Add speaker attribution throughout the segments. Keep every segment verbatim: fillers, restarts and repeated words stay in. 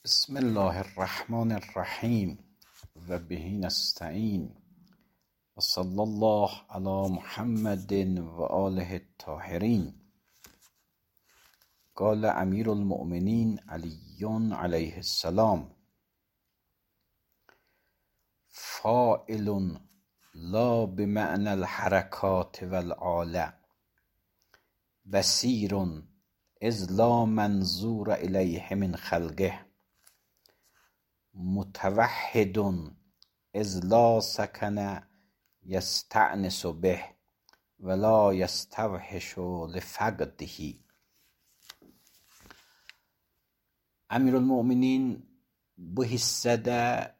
Speaker 1: بسم الله الرحمن الرحیم و به نستعین و صلی الله علی محمد و آله الطاهرین. قال امیر المؤمنین علی علیه السلام: فاعل لا بمعنى الحرکات والآلة، بصیر اذ لا منظور الیه من خلقه، متوحد اذ لا سکن یستأنس به ولا یستوحش لفقده. Emirülmüminin bu hissədə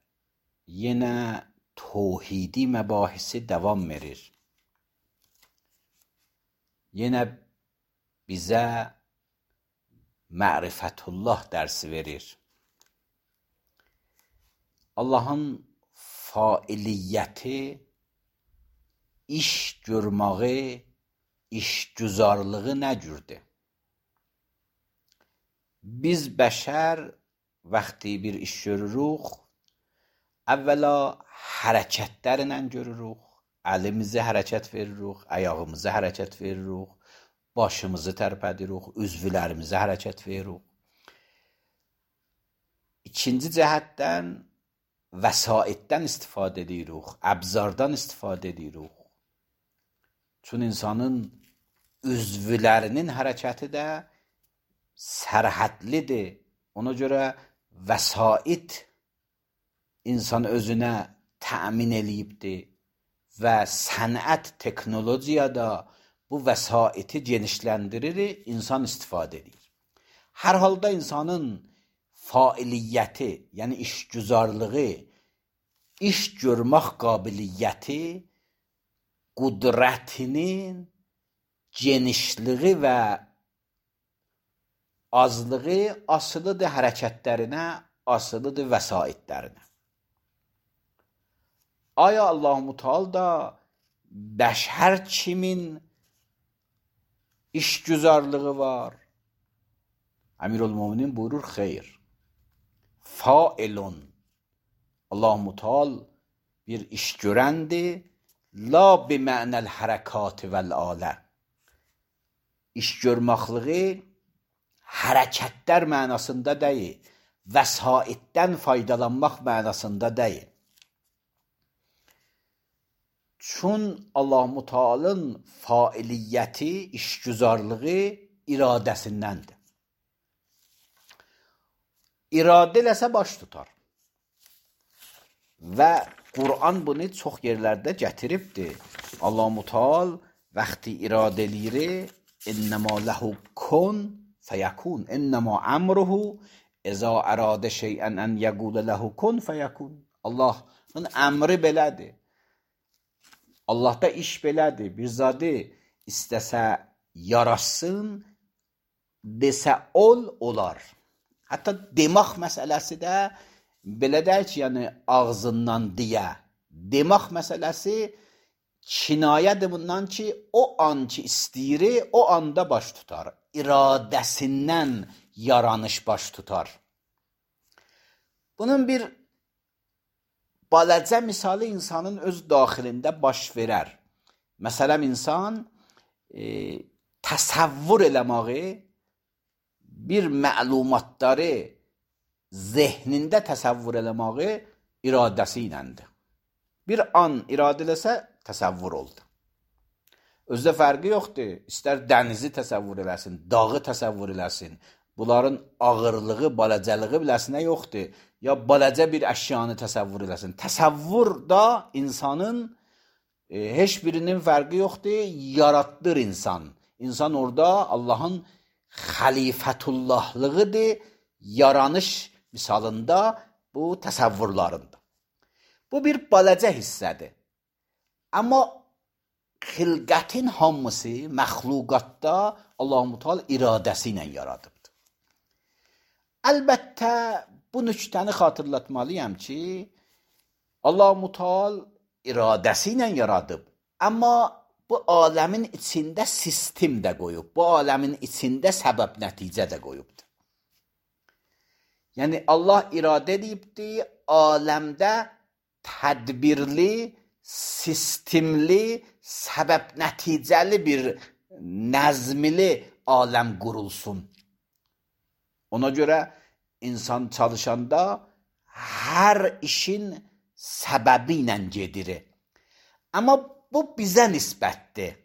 Speaker 1: yenə tövhidi məbahisi davam verir. Yenə bizə mərifətullah dərsi verir. Allahın failiyyəti, iş görməyi, işgüzarlığı nə cürdür? Biz bəşər vaxtı bir iş görürük, əvvəla hərəkətlərlə görürük, əlimizi hərəkət veririk, ayağımızı hərəkət veririk, başımızı tərpədirik, üzvlərimizi hərəkət veririk. İkinci cəhətdən vəsaitdən istifadə edirik, əbzardan istifadə edirik. Çün insanın üzvlərinin hərəkəti də sərhədlidir. Ona görə vəsait insan özünə təmin eləyibdir və sənət, teknologiya da bu vəsaiti genişləndirir, insan istifadə edir. Hər halda insanın failiyyəti, yəni işgüzarlığı, iş görmək qabiliyyəti, qudrətinin genişliği və azlığı asılıdır hərəkətlərinə, asılıdır vəsaitlərinə. Aya Allah-u Teala da bəşər kimin işgüzarlığı var? Emirülmüminin buyurur, xeyr. Failun, Allah-u Teala bir iş görəndir, la bimənəl hərəkati vəl-alə. İş görməkliği hərəkətlər mənasında deyil, vəsaitdən faydalanmaq mənasında deyil. Çün Allah-u Teala'nın failiyyəti, işgüzarlığı iradəsindəndir. İradə eləsə baş tutar. Və Qur'an bunu çox yerlərdə gətiribdir. Allah-u Teala vaxtı iradə eləyir, innəmə ləhu kun fəyəkun, innəmə əmruhu əzə əradə şeyən ən yəqulə ləhu kun fəyəkun. Allahın əmri belədir. Allahda iş belədir. Bir zadı istəsə yarasın, desə ol, olar. Hətta demək məsələsi də belə deyil ki, yəni ağzından deyə. Demək məsələsi kinayədir bundan ki, o an ki istəyir, o anda baş tutar. İradəsindən yaranış baş tutar. Bunun bir balacə misalı insanın öz daxilində baş verər. Məsələn, insan e, təsəvvür eləməyi, bir məlumatları zehnində təsəvvür eləməyi iradəsi iləndir. Bir an iradə eləsə təsəvvür oldu. Özdə fərqi yoxdur. İstər dənizi təsəvvür eləsin, dağı təsəvvür eləsin. Bunların ağırlığı, balacəlığı biləsinə yoxdur. Ya balacə bir əşyanı təsəvvür eləsin. Təsəvvür da insanın e, heç birinin fərqi yoxdur. Yaratdır insan. İnsan orada Allahın xəlifətullahlığıdır, yaranış misalında bu təsəvvürlarında. Bu bir balacə hissədir. Amma xilqətin hamısı məxluqatda Allah-u Teala iradəsi ilə yaradıbdır. Əlbəttə bu nüktəni xatırlatmalıyam ki, Allah-u Teala iradəsi ilə yaradıb. Amma bu aləmin içində sistem də qoyub. Bu aləmin içində səbəb nəticə də qoyubdur. Yəni Allah iradə edibdi, aləmdə tədbirli, sistemli, səbəb nəticəli bir nəzmli aləm qurulsun. Ona görə insan çalışanda hər işin səbəbi ilə gedir. Amma bu bizə nisbətdir.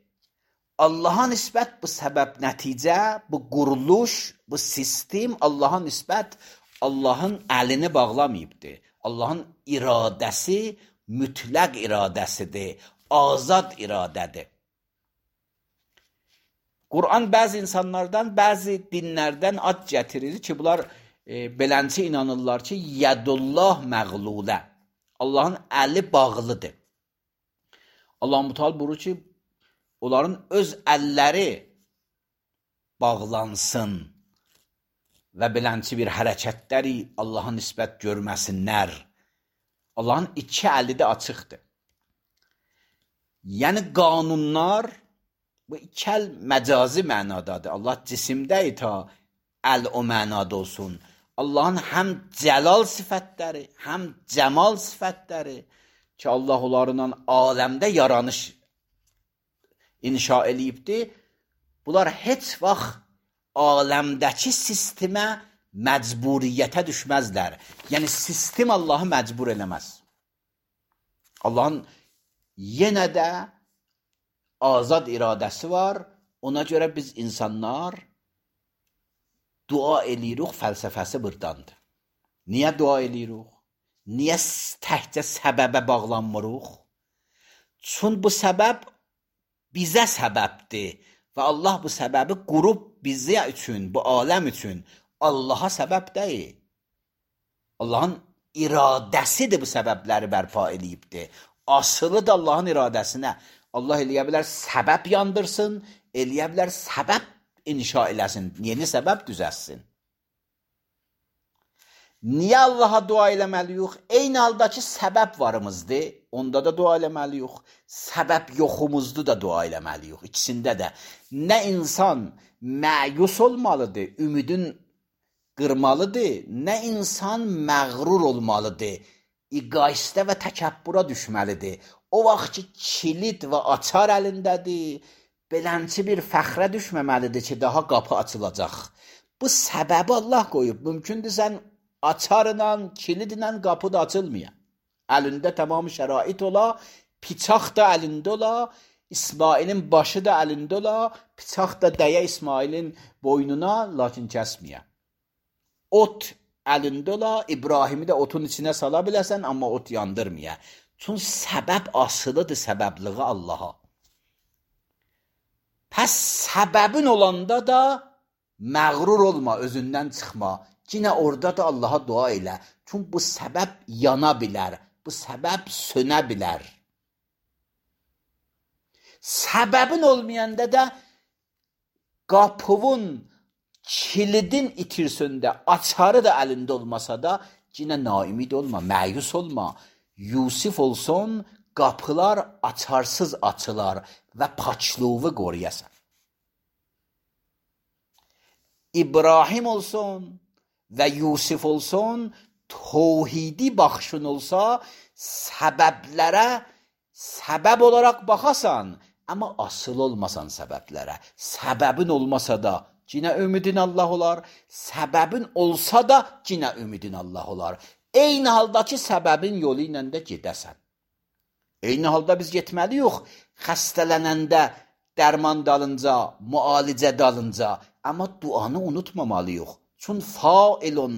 Speaker 1: Allaha nisbət bu səbəb nəticə, bu quruluş, bu sistem Allaha nisbət Allahın əlini bağlamayıbdır. Allahın iradəsi mütləq iradəsidir, azad iradədir. Quran bəzi insanlardan, bəzi dinlərdən ad gətirir ki, bunlar e, belənçi inanırlar ki, yədullah məğlulə. Allahın əli bağlıdır. Allah Müteal buyurur ki, onların öz əlləri bağlansın və belənçi bir hərəkətləri Allah'a nisbət görməsinlər. Allahın iki əli də açıqdır. Yəni qanunlar, bu iki əl məcazi mənadadır. Allah cisimdədir ta əl o mənada olsun. Allahın həm cəlal sifətləri, həm cəmal sifətləri ki, Allah onlarla aləmdə yaranış inşa eləyibdir. Bunlar heç vaxt aləmdəki sistemə məcburiyyətə düşməzlər. Yəni, sistem Allahı məcbur eləməz. Allahın yenə də azad iradəsi var. Ona görə biz insanlar dua eləyirik, fəlsəfəsi burdandır. Niyə dua eləyirik? Niyə təkcə səbəbə bağlanmırıq? Çünki bu səbəb bizə səbəbdir və Allah bu səbəbi qurub bizə üçün, bu aləm üçün Allaha səbəb deyil. Allahın iradəsidir bu səbəbləri bərpa eləyibdir. Asılı da Allahın iradəsinə. Allah eləyə bilər səbəb yandırsın, eləyə bilər səbəb inşa eləsin, yeni səbəb düzəlsin. Niyə Allaha dua eləməliyik? Eyni haldakı səbəb varımızdır, onda da dua eləməliyik. Səbəb yoxumuzdur da dua eləməliyik. İkisində də. Nə insan məyus olmalıdır, ümidin qırmalıdır, nə insan məğrur olmalıdır, iqaistə və təkəbbura düşməlidir. O vaxt ki, kilit və açar əlindədir, belənçi bir fəxrə düşməməlidir ki, daha qapı açılacaq. Bu səbəbi Allah qoyub. Mümkündür sən açarla, kilidlə qapı da açılmaya. Əlində tamam şərait ola, piçaq da əlində ola, İsmailin başı da əlində ola, piçaq da dəyə İsmailin boynuna, lakin kəsməyə. Ot əlində ola, İbrahimi də otun içinə sala biləsən, amma ot yandırmaya. Çünki səbəb asılıdır səbəbliği Allaha. Pəs səbəbin olanda da məğrur olma, özündən çıxma. Yine orada da Allah'a dua elə. Çünki bu səbəb yana bilər. Bu səbəb sönə bilər. Səbəbin olmayanda da qapının, kilidin itirsində, açarı da əlində olmasa da yine naimid olma, məyus olma. Yusif olsun, qapılar açarsız açılar və paçluğu qoruyasan. İbrahim olsun və Yusuf olsun, tövhidi baxışın olsa, səbəblərə səbəb olaraq baxasan, amma asıl olmasan səbəblərə. Səbəbin olmasa da yine ümidin Allah olar, səbəbin olsa da yine ümidin Allah olar. Eyni haldakı səbəbin yolu ilə də gedəsən. Eyni halda biz getməliyik, xəstələnəndə dərman dalınca, müalicə dalınca, amma duanı unutmamalıyıq. Çünki failun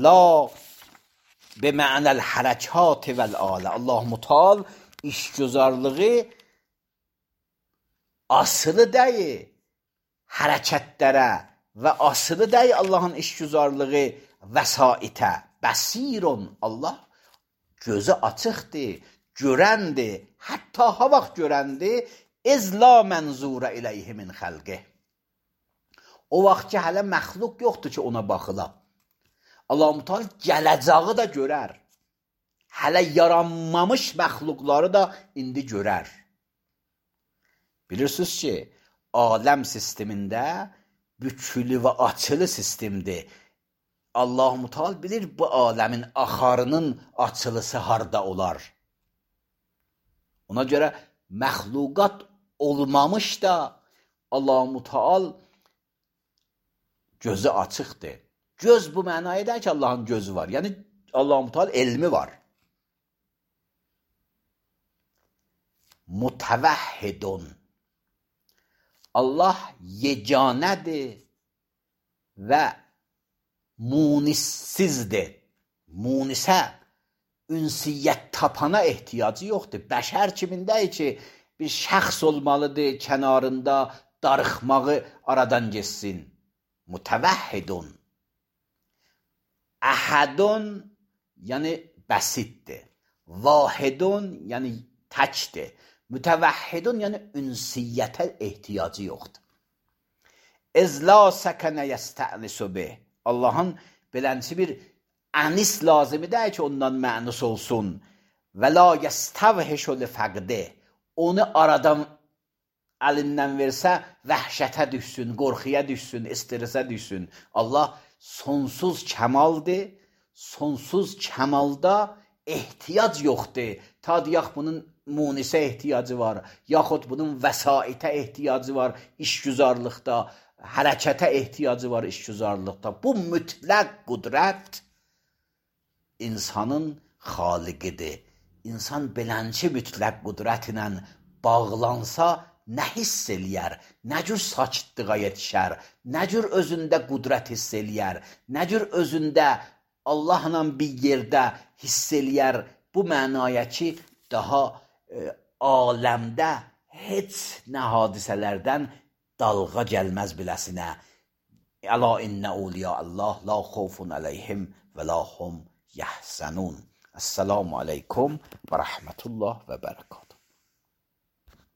Speaker 1: la be mənəl hərəkat vəl-alə. Allah Müteal işgüzarlığı asılı deyil hərəkətlərə və asılı deyil Allahın işgüzarlığı vəsaitə. Bəsirun, Allah gözü açıqdır, görəndir, hətta ha vaxt görəndir, ez la mənzurə iləyhi min xəlqih. O vaxt ki, hələ məxluq yoxdur ki, ona baxıla. Allah-u Teala gələcəyi da görər. Hələ yaranmamış məxluqları da indi görər. Bilirsiniz ki, aləm sistemində bükülü və açılı sistemdir. Allah Müteal bilir bu aləmin axarının açılısı harda olar. Ona görə məxluqat olmamış da Allah Müteal gözü açıqdır. Göz bu mənaya edir ki, Allahın gözü var. Yəni Allah Müteal elmi var. Mutevahhidun. Allah yeganədir və munissizdir. Munisə, ünsiyyət tapana ehtiyacı yoxdur. Bəşər kimindəyir ki, bir şəxs olmalıdır, kənarında darıxmağı aradan geçsin. Mutevahhidun. Əhədun, yəni bəsitdir. Vahidun, yəni təkdir. Mütevahhidun, yəni ünsiyyətə ehtiyacı yoxdur. İzla səkənə yəstənisu bih. Allahın belənçi bir ənis lazımı deyil ki, ondan mənus olsun. Və la yəstəvhişu li fəqdi. Onu aradan əlindən versə, vəhşətə düşsün, qorxuya düşsün, stresə düşsün. Allah sonsuz kəmaldır, sonsuz kəmalda ehtiyac yoxdur. Ta deyək bunun munisə ehtiyacı var, yaxud bunun vəsaitə ehtiyacı var, işgüzarlıqda, hərəkətə ehtiyacı var işgüzarlıqda. Bu mütləq qudrət insanın xaliqidir. İnsan belənçi mütləq qudrət ilə bağlansa, nə hiss eləyər, nə cür sakitliğa yetişər, nə cür özündə qudrət hiss eləyər, nə cür özündə Allahla bir yerdə hiss eləyər, bu mənaya ki, daha e, aləmdə heç nə hadisələrdən dalğa gəlməz biləsinə. Əla innə uliya Allah la xofun əleyhim və la hum yəhzənun. Əssəlamu aleykum və rəhmətullah və bərəkət.